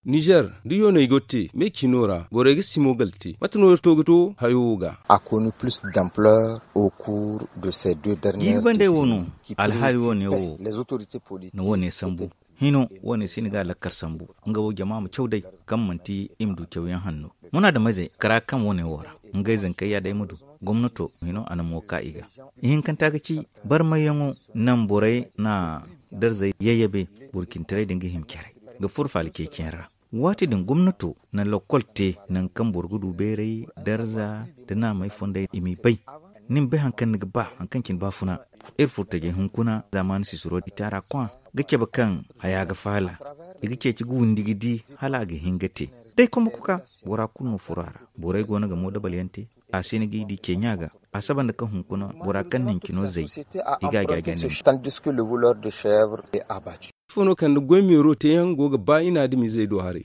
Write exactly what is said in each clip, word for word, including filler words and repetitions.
Nizer da yooney go te me ciino ra borey ga simo gala te mate no iri to ga to hayo wo ga. A konu plus d'ampleur au cours de ces deux dernières décennies. Jiiri bandey wo no alhaali wo ne wo na wo ne sambu. Hino wo ne si ni ga lakkar sambu nga wo jama ma caw day kaŋ manti i ma du cawyaŋ hanno. Munaadamizey kara kaŋ wo ne wo ra ngey zankey ya day ma du gomnato hino a na mo ka i ga. Ihinkanta ga ci barmayyaŋo naŋ borey na darzey yayyabe burcintaray din ga hima care ga furo faala ceeciyaŋ ra. Waati din gomnato na lokkol te naŋ kaŋ boro ga du beeray darza da naamey fondey i m'i bay. Ni ma bay hari kaŋ ni ga ba hari kaŋ cine baafuna iri furo tajey hunkuna zaamaani sisiro i taara kwa ga cabe kaŋ haya ga faala i ga ceeci ga windi ga di hala a ga hin ga te. Day kombo koka bora kulu no furo a ra. Borey go no ga moodabal yaŋ te. A si ni g'i di ceeɲa ga a saba nda kaŋ hunkuna bora kaŋ na hincino zay i ga a jaaja ne. Ifo no kaŋ nda goy meero teeyaŋ go ga ba i na adamizey do haray.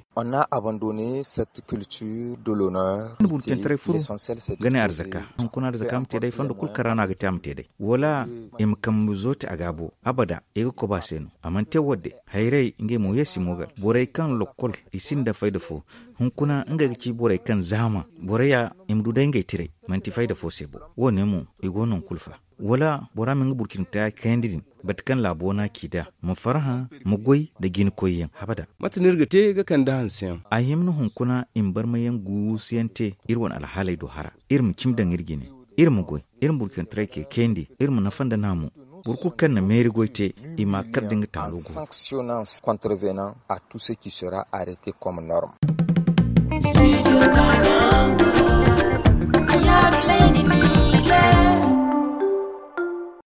Ni burcintaray furu ga ne arzaka hunkuna arzaka ma te day fondo kulu kaŋ ra no a ga te a ma te day wala i ma kambe zo te a gaabo abada i ga koba se no. A mana te wo- din hayray ngey mo ye si mo ga borey kaŋ lokkol i sinda fayda fo. Hunkuna ngey ga ci borey kaŋ zaama borey ya i ma du day ngey tiray manti fayda fo se bo. Wo- ne mo i go no kulu fa wala bora ma nga burcintaray kayandi din bate kaŋ laabo no a ci nd'a ma farhã ma goy nda jina koyyaŋ habada. Mate no iri ga te ga kande hanseyaŋ? A hima no hunkuna i ma barmayaŋ guusuyaŋ te iri wane alhaaley do hara. Iri ma cimi daŋ iri jine iri ma goy iri ma burcintaray kay kayandi iri ma nafa nda naamu. Boro kulu kaŋ na meeri goy te i ma a kar da nga taalo go. Sanctionnant contrevenant à tout ce qui sera arrêté comme norme.